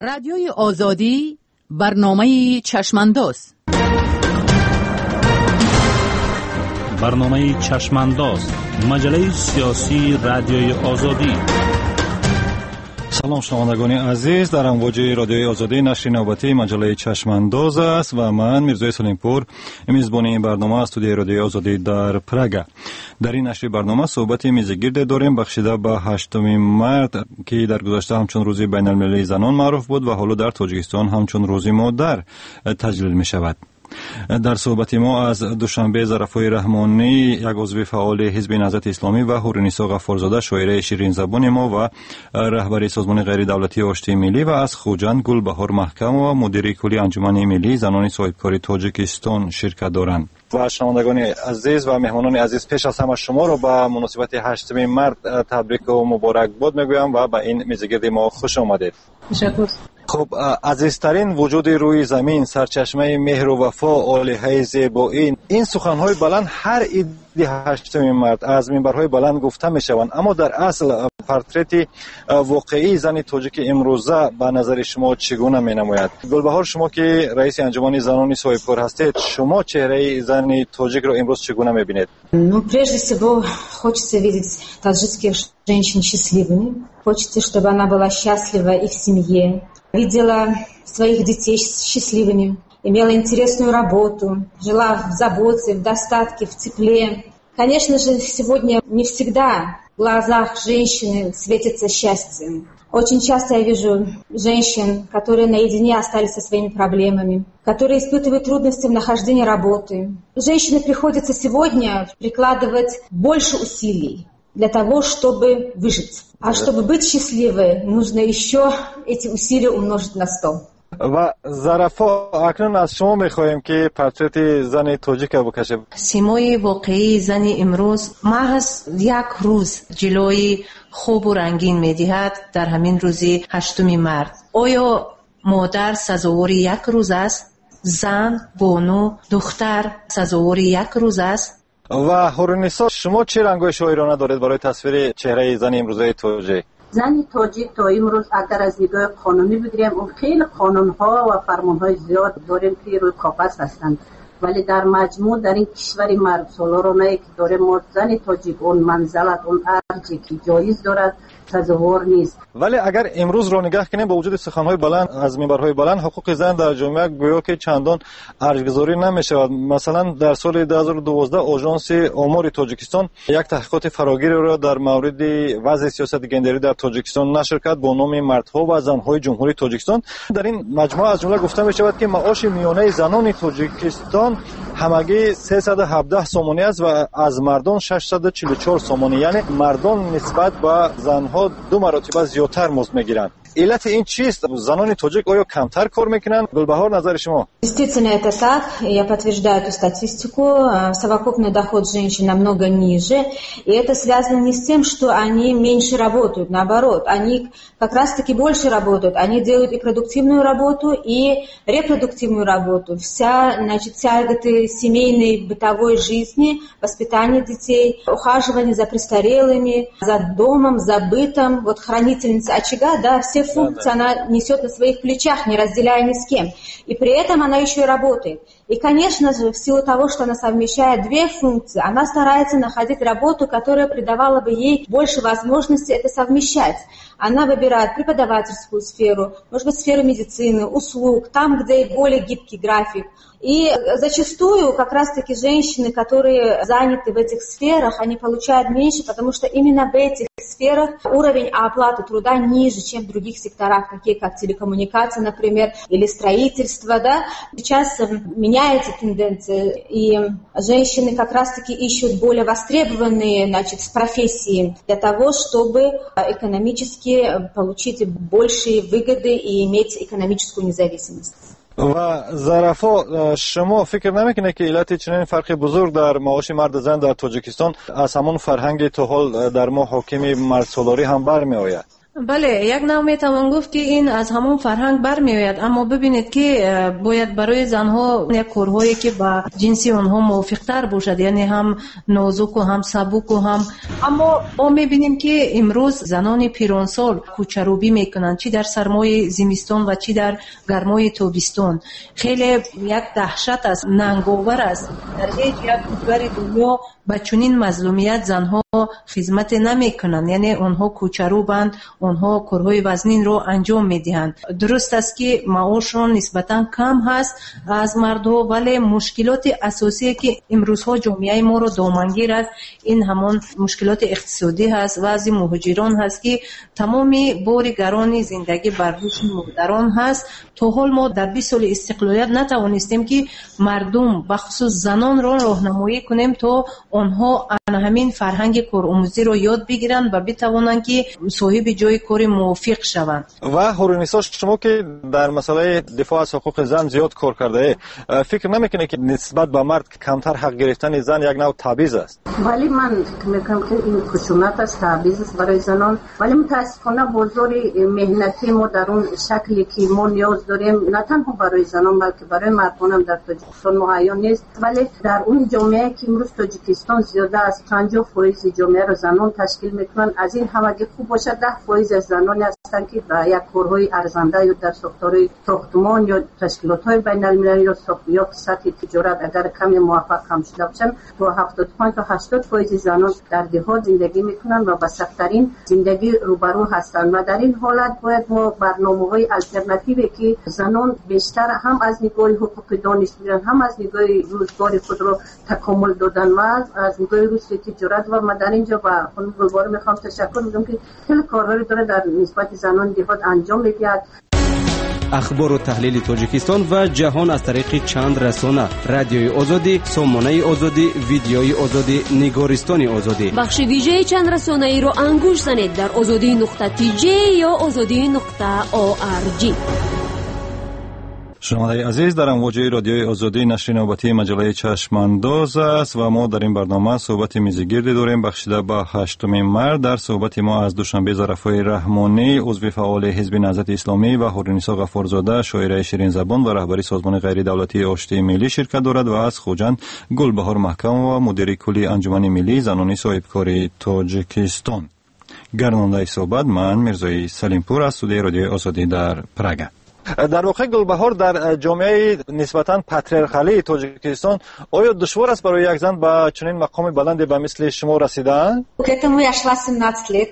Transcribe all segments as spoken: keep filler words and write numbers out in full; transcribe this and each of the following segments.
Радиои Озодӣ, барномаи Чашмандоз. Барномаи Чашмандоз, маҷаллаи сиёсии Радиои Озодӣ. Салом, шунавандагони азиз, дар амвоҷи Радиои Озодӣ нашри навбатии маҷаллаи Чашмандоз аст ва ман, Мирзои Салимпур, мизбони ин барнома аз студияи Радиои Озодӣ дар Прага. Дар ин нашри барнома суҳбати мизигирде дорем, бахшида ба ҳаштуми март, ки дар гузашта ҳамчун рӯзи байналмилалии занон маъруф буд ва ҳоло дар Тоҷикистон ҳамчун рӯзи модар таҷлил мешавад. Дар суҳбати мо аз Душанбе Зарафои Раҳмонӣ, як узви фаъоли Ҳизби Наҳзати Исломӣ, ва Ҳуринисо Ғаффорзода, шоираи ширинзабони мо ва раҳбари Созмони ғайридавлатии Оштии Миллӣ, ва аз Хуҷанд Гулбаҳор Маҳкамова, мудири кулли Анҷумани миллии занони соҳибкори Тоҷикистон ширкат доранд. Ва шунавандагони азиз ва меҳмонони азиз, пеш аз ҳама шуморо ба муносибати ҳаштуми март табрику муборакбод мегӯям ва ба ин мизигирди мо хуш омадед. Ташаккур. Хуб, азизтарин вуҷуди рӯи замин, сарчашмаи меҳру вафо, олиҳаи зебоӣ, ин суханҳои баланд ҳар иди ҳаштуми март аз минбарҳои баланд гуфта мешаванд, аммо дар асл портрети воқеии зани тоҷики имрӯза ба назари шумо чӣ гуна менамояд? Гулбаҳор, шумо ки раиси Анҷумани занони соҳибкор ҳастед, шумо чеҳраи зани тоҷикро имрӯз чӣ гуна мебинед? Ну, прежде всего, хочется видеть таджикских женщин счастливыми. Хочется, чтобы она была счастлива и в семье, видела своих детей счастливыми, имела интересную работу, жила в заботе, в достатке, в тепле. Конечно же, сегодня не всегда в глазах женщины светится счастье. Очень часто я вижу женщин, которые наедине остались со своими проблемами, которые испытывают трудности в нахождении работы. Женщине приходится сегодня прикладывать больше усилий для того, чтобы выжить. А чтобы быть счастливой, нужно еще эти усилия умножить на сто. Ва Зарафо, акнун аз шумо мехоҳем, ки портрети зани тоҷика бикашед. Симои воқеии зани имрӯз маҳз як рӯз ҷилои хубу рангин медиҳад дар ҳамин рӯзи ҳаштуми март. Оё модар сазовори як рӯз аст? Зан, бону, духтар сазовори як рӯз аст? Ва Ҳуринисо, шумо чӣ рангҳои шоирона доред барои тасвири чеҳраи зани имрӯзаи тоҷик? Зани тоҷик то имрӯз, агар аз нигоҳи қонунӣ бигирем, хеле қонунҳо ва фармонҳои зиёд дорем, ки рӯи коғаз ҳастанд, вале дар маҷмӯъ дар ин кишвари мардсолоронае ки дорем мо, зани тоҷик он манзалат, он арҷе ки ҷоиз дорад, сазовор нест. Вале агар имрӯзро нигаҳ кунем, бо вуҷуди суханҳои баланд аз минбарҳои баланд, ҳуқуқи зан дар ҷомеа гӯё ки чандон арҷгузорӣ намешавад. Масалан, дар соли дуҳазору дувоздаҳ Ожонси омори Тоҷикистон як таҳқиқоти фарогиреро дар мавриди вазъи сиёсати гендерӣ дар Тоҷикистон нашр кард бо номи «Мардҳо ва занҳои Ҷумҳурии Тоҷикистон». Дар ин маҷмӯа аз ҷумла гуфта мешавад, ки маоши миёнаи занони Тоҷикистон ҳамагӣ сесаду ҳабдаҳ сомонӣ аст ва аз мардон шашсаду чилу чор сомонӣ, яъне мардон нисбат ба занҳо ду маротиба зиёдтар музд мегиранд. Иллати ин чист? Занони тоҷик оё камтар кор мекунанд? Гулбаҳор, назари шумо? Действительно, это так. Я подтверждаю эту статистику. Совокупный доход женщин намного ниже. И это связано не с тем, что они меньше работают. Наоборот, они как раз-таки больше работают. Они делают и продуктивную работу, и репродуктивную работу. Вся, значит, тяготы семейной, бытовой жизни, воспитание детей, ухаживание за престарелыми, за домом, за бытом. Вот хранительница очага, да, все функции она несет на своих плечах, не разделяя ни с кем. И при этом она еще и работает. И, конечно же, в силу того, что она совмещает две функции, она старается находить работу, которая придавала бы ей больше возможностей это совмещать. Она выбирает преподавательскую сферу, может быть, сферу медицины, услуг, там, где более гибкий график. И зачастую как раз-таки женщины, которые заняты в этих сферах, они получают меньше, потому что именно в этих сферах уровень оплаты труда ниже, чем в других секторах, такие как телекоммуникации, например, или строительство. Да? Сейчас меняется тенденция, и женщины как раз-таки ищут более востребованные, значит, профессии для того, чтобы экономически получить большие выгоды и иметь экономическую независимость. Ва Зарафо, шумо фикр намекунед, ки иллати чунин фарқи бузург дар маоши марду зан дар Тоҷикистон аз ҳамон фарҳанги то ҳол дар мо ҳокими мардсолорӣ ҳам бармеояд? Бале, як нав метавон гуфт, ки ин аз ҳамон фарҳанг бармеояд, аммо бибинед, ки бояд барои занҳо як корҳое, ки ба ҷинси онҳо мувофиқтар бошад, яъне ҳам нозуку ҳам сабуку ҳам. Аммо мо мебинем, ки имрӯз занони пиронсол кӯчарӯбӣ мекунанд, чӣ дар сармои зимистон ва чӣ дар гармои тобистон. Хеле як даҳшат аст, нанговар аст. Дар ҳеҷ як кишвари дунё ба чунин мазлумият занҳо хизмате намекунанд, яъне онҳо кӯчарӯбанд, онҳо корҳои вазнинро анҷом медиҳанд. Дуруст аст, ки маошшон нисбатан кам ҳаст аз мардҳо, вале мушкилоти асосие, ки имрӯзҳо ҷомеаи моро домангир аст, ин ҳамон мушкилоти иқтисодӣ ҳаст, вазъи муҳоҷирон ҳаст, ки тамоми бори гарони зиндагӣ бар дӯши модарон ҳаст. То ҳол мо дар бист соли истиқлолият натавонистем, ки мардум, бахусус занонро роҳнамоӣ кунем, то онҳо ана ҳамин фарҳанги коромӯзиро ёд бигиранд ва битавонанд, ки соҳиби ҷои кори мувофиқ шаванд. Ва Ҳуринисо, шумо ки дар масъалаи дифоъ аз ҳуқуқи зан зиёд кор кардаед, фикр намекунед, ки нисбат ба мард камтар ҳақ гирифтани зан як нав табъиз аст? Вале ман фикр мекунам, ки ин хушунат аст, табъиз аст барои занон. Вале мутаассифона бозори меҳнатии мо дар он шакле, ки мо ниёз дорем, на танҳо барои занон, балки барои мардон ҳам дар Тоҷикистон муҳайё нест. Вале дар он ҷомеае, ки имрӯз Тоҷикистон зиёда аз панҷоҳ фоизи ҷомеаро занон ташкил мекунанд, аз ин ҳамагӣ хуб бошад даҳ фоиз аз заноне ҳастанд, ки ба як корҳои арзанда ё дар сохторҳои сохтмон ё ташкилотҳои байналмилалӣ ё ё сатҳи тиҷорат агар каме муваффақ ҳам шуда бошанд, то ҳафтоду панҷ то ҳаштод фоизи занон дар деҳот зиндагӣ мекунанд ва ба сахттарин зиндагӣ рӯбарӯ ҳастанд. Ва дар ин ҳолат бояд мо барномаҳои алтернативе, ки занон бештар ҳам аз нигоҳи ҳуқуқи дониш бигиранд, ҳам аз нигоҳи рӯзгори худро такомул додан ва аз нигоҳи рушди тиҷорат. Ва ман дар инҷо ба хонум Гулбаҳор мехоҳам ташаккур бигӯям, ки хеле корҳое дорад дар нисбати занони деҳот анҷом медиҳад. Ахбору таҳлили Тоҷикистон ва ҷаҳон аз тариқи чанд расона: Радиои Озодӣ, Сомонаи Озодӣ, Видеои Озодӣ, Нигористони Озодӣ. Бахши вижаи чанд расонаиро ангушт занед дар озодӣ нуқта тж ё озодӣ нуқта орг. Шунавандаи азиз, дар амвоҷи Радиои Озодӣ нашри навбатии маҷаллаи Чашмандоз аст ва мо дар ин барнома суҳбати мизигирдӣ дорем, бахшида ба ҳаштуми март. Дар суҳбати мо аз Душанбе Зарафои Раҳмонӣ, узви фаъоли Ҳизби Наҳзати Исломӣ, ва Ҳуринисо Ғаффорзода, шоираи ширинзабон ва раҳбари созмони ғайридавлатии Оштии Миллӣ ширкат дорад ва аз Хуҷанд Гулбаҳор Маҳкамова, мудири кулли Анҷумани миллии занони соҳибкори Тоҷикистон. Гардонандаи суҳбат ман Мирзои Салимпур аз студияи Радиои Озодӣ дар Прага. Дар воқеъ, Гулбаҳор, дар ҷомеаи нисбатан патриархалии Тоҷикистон оё душвор аст барои як зан ба чунин мақоми баланде ба мисли шумо расидан? К этому я шла семнадцать лет.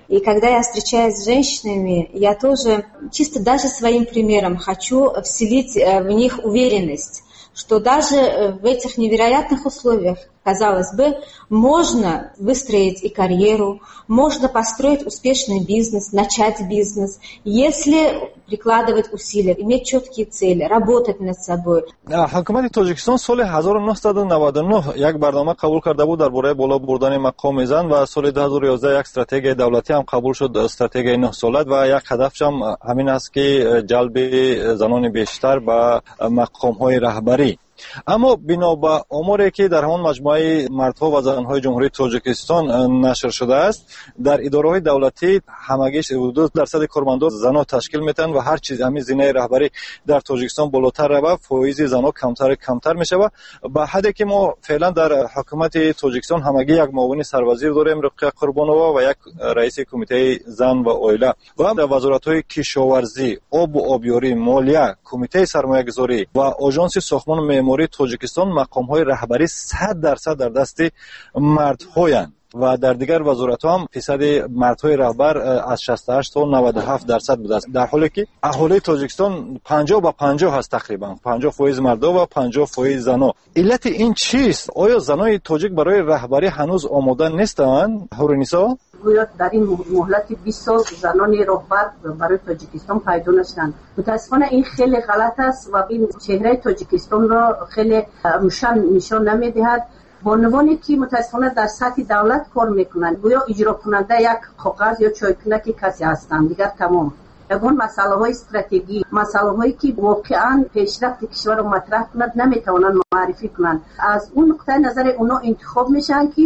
И когда я встречаюсь с женщинами, я тоже чисто даже своим примером хочу вселить в них уверенность, что даже в этих невероятных условиях, казалось бы, можно выстроить и карьеру, можно построить успешный бизнес, начать бизнес, если прикладывать усилия, иметь четкие цели, работать над собой. Ҳукумати Тоҷикистон соли ҳазору нӯҳсаду наваду нӯҳ як барнома қабул карда буд дар бораи боло бурдани мақоми зан ва соли ду ҳазору ёздаҳ як стратегияи давлатӣ ҳам қабул шуд, стратегияи нӯҳсола, ва як ҳадафшам ҳамин аст, ки ҷалби занони бештар ба мақомҳои раҳбарӣ. Аммо бино ба оморе, ки дар ҳамон маҷмӯаи мардҳо ва занҳои Ҷумҳурии Тоҷикистон нашр шудааст, дар идораҳои давлатӣ ҳамагӣ ду дарсади кормандон занҳо ташкил метаванд ва ҳар чиз ҳамин зинаи раҳбарӣ дар Тоҷикистон болотар равад, фоизи занҳо камтар камтар мешавад, ба ҳадде ки мо феълан дар ҳукумати Тоҷикистон ҳамагӣ як муовини сарвазир дорем, Руқия Қурбонова, ва як раиси кумитаи зан ва оила, ва дар вазоратҳои кишоварзӣ, обу обёрӣ, молия, кумитаи сармоягузорӣ ва оҷонси сохтмону меъмории Тоҷикистон мақомҳои раҳбарӣ сад дарсад дар дасти мардҳоянд ва дар дигар вазоратҳо ҳам фисади мардҳои раҳбар аз шасту ҳашт то наваду ҳафт дарсад будааст, дар ҳоле ки аҳолии Тоҷикистон панҷоҳ ба панҷоҳ ҳаст, тақрибан панҷоҳ фоиз мардо ва панҷоҳ фоиз зано. Иллати ин чист? Оё занои тоҷик барои раҳбарӣ ҳанӯз омода нестанд, Ҳуринисо? Гӯё дар ин муҳлати бист сол занони роҳбар барои Тоҷикистон пайдо нашуданд. Мутаассифона, ин хеле ғалат аст ва ин чеҳраи Тоҷикистонро хеле рӯшан нишон намедиҳад. Бонувоне, ки мутаассифона дар сатҳи давлат кор мекунанд, гӯё иҷрокунанда як коғаз ё чойкунаки касе ҳастанд, дигар тамом. Ягон масъалаҳои стратегӣ, масъалаҳое, ки воқеан пешрафти кишварро матраҳ кунад, наметавонанд муаррифӣ кунанд. Аз он нуқтаи назаре онҳо интихоб мешаванд, ки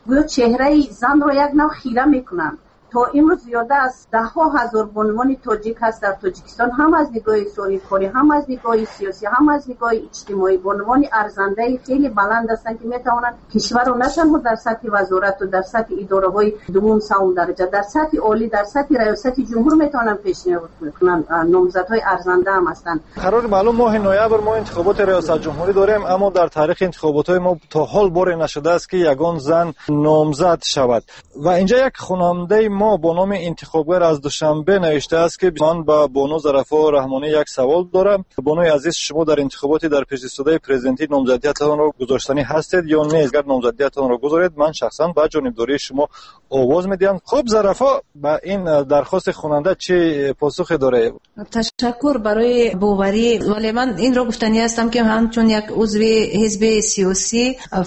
гӯё чеҳраи занро як нав хира мекунанд. То имрӯз зиёда аз даҳҳо ҳазор бонувони тоҷик ҳаст дар Тоҷикистон, ҳам аз нигоҳи соҳибкорӣ, ҳам аз нигоҳи сиёсӣ, ҳам аз нигоҳи иҷтимоӣ. Бонувони арзандаи хеле баланд ҳастанд, ки метавонанд кишварро на танҳо дар сатҳи вазорат ва дар сатҳи идораҳои дуввум, севум дараҷа, дар сатҳи олӣ, дар сатҳи раёсати ҷумҳур метавонанд пешниҳод кунанд. Номзадҳои арзанда ҳам ҳастанд. Қарори маълум, моҳи ноябр мо интихоботи раёсат ҷумҳурӣ дорем, аммо дар таърихи интихоботҳои мо то ҳол боре нашудааст, ки ягон зан номзад шавад. Ва инҷа як хонандаи мо бо номи Интихобгар аз Душанбе навиштааст, ки ман ба бону Зарафо Раҳмонӣ як савол дорам. Бонуи азиз, шумо дар интихоботи дар пешистодаи президентӣ номзадиятонро гузоштанӣ ҳастед ё не? Агар номзадиятонро гузоред, ман шахсан ба ҷонибдории шумо овоз медиҳам. Хуб, Зарафо, ба ин дархости хонанда чӣ посухе доред? Ташаккур барои боварӣ, вале ман инро гуфтанӣ ҳастам, ки ҳамчун як узви ҳизби сиёсӣ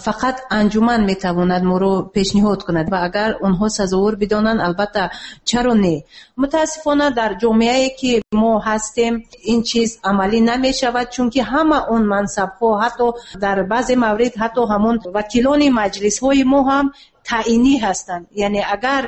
фақат анҷуман метавонад моро пешниҳод кунад ва агар онҳо сазовор бидонанд, албатта чаро не. Мутаассифона дар ҷомеае ки мо ҳастем ин чиз амалӣ намешавад, чунки ҳама он мансабҳо, ҳатто дар баъзе маврид ҳатто ҳамон вакилони маҷлисҳои мо ҳам таъинӣ ҳастанд. Яъне агар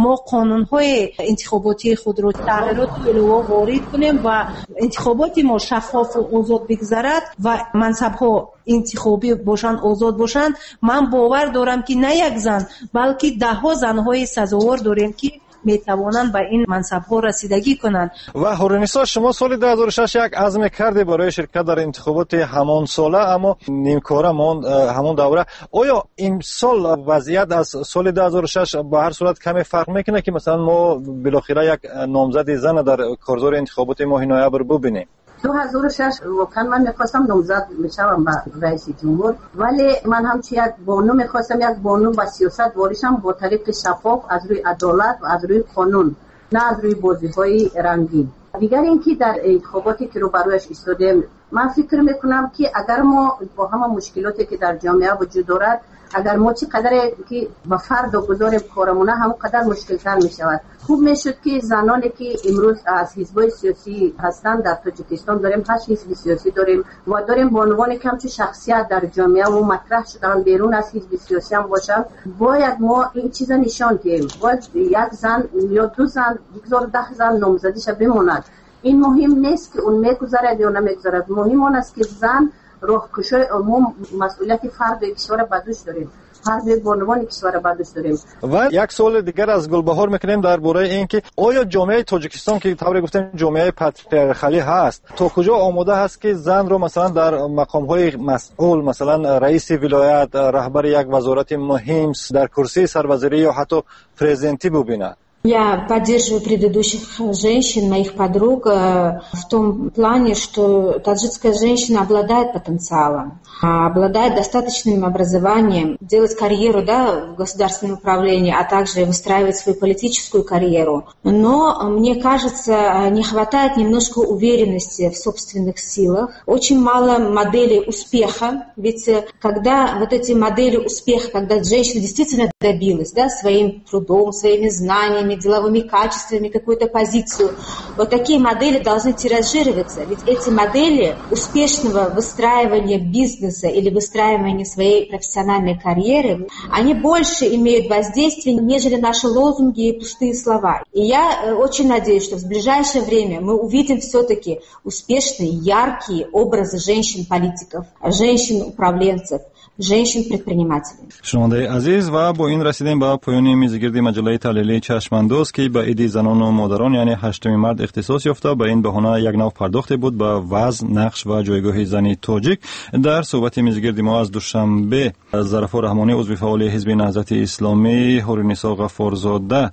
мо қонунҳои интихоботии худро тағйироту илова ворид кунем ва интихоботи мо шаффофу озод бигзарад ва мансабҳо интихобӣ бошанд, озод бошанд, ман бовар дорам, ки на як зан, балки даҳҳо занҳои сазовор дорем, ки метавонанд ба ин мансабҳо расидагӣ кунанд. Ва Ҳуринисо, шумо соли ду ҳазору шаш як азме кардед барои ширкат дар интихоботи ҳамон сола, аммо нимкора монд ҳамон давра. Оё имсол вазъият аз соли ду ҳазору шаш ба ҳар сурат каме фарқ мекунад, ки масалан мо билохира як номзади зан дар корзори интихоботи моҳи ноябр бубинем? ду ҳазору шаш воқеан ман мехостам номзад мешавам ба раиси ҷумҳур, вале ман ҳамчун як бону мехостам як бону ба сиёсат ворид шавам бо тариқи шаффоф, аз рӯи адолат ва аз рӯи қонун, на аз рӯи бозиҳои рангин. Дигар ин ки дар интихоботе ки рӯбарӯяш истодем, ман фикр мекунам, ки агар мо бо ҳама мушкилоте ки дар ҷомеа вуҷуд дорад, агар мо чӣ қадаре ки ба фардо гузорем корамона, ҳамон қадар мушкилтар мешавад. Хуб мешуд, ки заноне ки имрӯз аз ҳизбҳои сиёсӣ ҳастанд дар Тоҷикистон, дорем ҳашт ҳизби сиёсӣ дорем ва дорем бонувоне ки ҳамчун шахсият дар ҷомеа ва матраҳ шудаанд, берун аз ҳизби сиёсӣ ҳам бошанд, бояд мо ин чиза нишон диҳем. Бояд як зан ё ду зан, бигзор даҳ зан номзадиша бимонад. Ин муҳим нест, ки он мегузарад ё намегузарад. Муҳим он аст, ки зан роҳкушои мо масъулияти фарди кишварро ба дӯш дорем, фарди бонувони кишварро ба дӯш дорем. Ва як суоли дигар аз Гулбаҳор мекунем дар бораи ин ки оё ҷомеаи Тоҷикистон, ки тавре гуфтем ҷомеаи патриархалӣ ҳаст, то куҷо омода ҳаст, ки занро масалан дар мақомҳои масъул, масалан раиси вилоят, раҳбари як вазорати муҳим, дар курсии сарвазирӣ ё ҳатто президентӣ бубинад? Я поддерживаю предыдущих женщин, моих подруг, в том плане, что таджикская женщина обладает потенциалом, обладает достаточным образованием, делать карьеру, да, в государственном управлении, а также выстраивать свою политическую карьеру. Но, мне кажется, не хватает немножко уверенности в собственных силах. Очень мало моделей успеха, ведь когда вот эти модели успеха, когда женщина действительно добилась, да, своим трудом, своими знаниями, деловыми качествами, какую-то позицию. Вот такие модели должны тиражироваться, ведь эти модели успешного выстраивания бизнеса или выстраивания своей профессиональной карьеры, они больше имеют воздействие, нежели наши лозунги и пустые слова. И я очень надеюсь, что в ближайшее время мы увидим все-таки успешные, яркие образы женщин-политиков, женщин-управленцев, женщин-предпринимателей. Шунавандаи азиз, ва бо ин расидем ба поёни мизгирди маҷаллаи таҳлилии Чашмандоз, ки ба иди занону модарон, яъне ҳаштуми март ихтисос ёфта, ба ин баҳона як нав пардохте буд ба вазн, нақш ва ҷойгоҳи зани тоҷик. Дар суҳбати мизгирди мо аз Душанбе Зарафо Раҳмонӣ, узви фаъоли ҳизби Наҳзати Исломӣ, Ҳуринисо Ғаффорзода,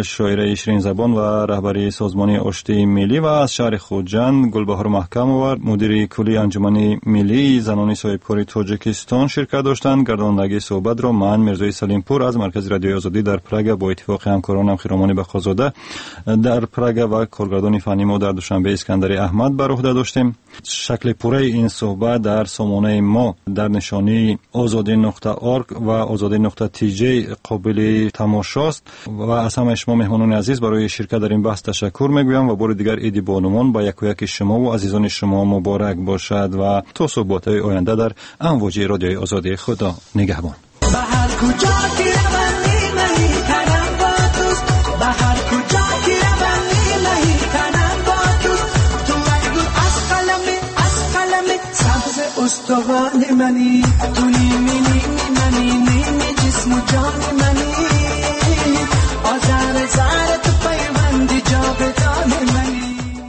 шоираи ширинзабон ва раҳбари созмони Оштии миллӣ, ва аз шаҳри Хуҷанд Гулбаҳор Маҳкамова, мудири кулли Анҷумани миллии занони соҳибкори Тоҷикистон ширкат доштанд. Гардондагии суҳбатро ман, Мирзои Салимпур, аз Маркази радиои Озодӣ дар Прага бо иттифоқи ҳамкоронам Хиромони Бақозода дар Прага ва коргардони фанни мо дар Душанбе Искандари Аҳмад бар уҳда доштем. Шакли пурраи ин суҳбат дар сомонаи мо дар нишонии озодӣ нуқта орг ва озодӣ нуқта тж қобили тамошост. Ва аз ҳамаи шумо меҳмонони азиз барои ширкат дар ин баҳс ташаккур мегӯям ва бори дигар иди бонувон ба якояки шумо ва азизони шумо муборак бошад ва то суҳбатҳои оянда дар амвоҷи радиои Озодӣ Худо нигаҳбон. Ба ҳар куҷо ки равам нимаи танам бо туст, ба تو غنی منی، تو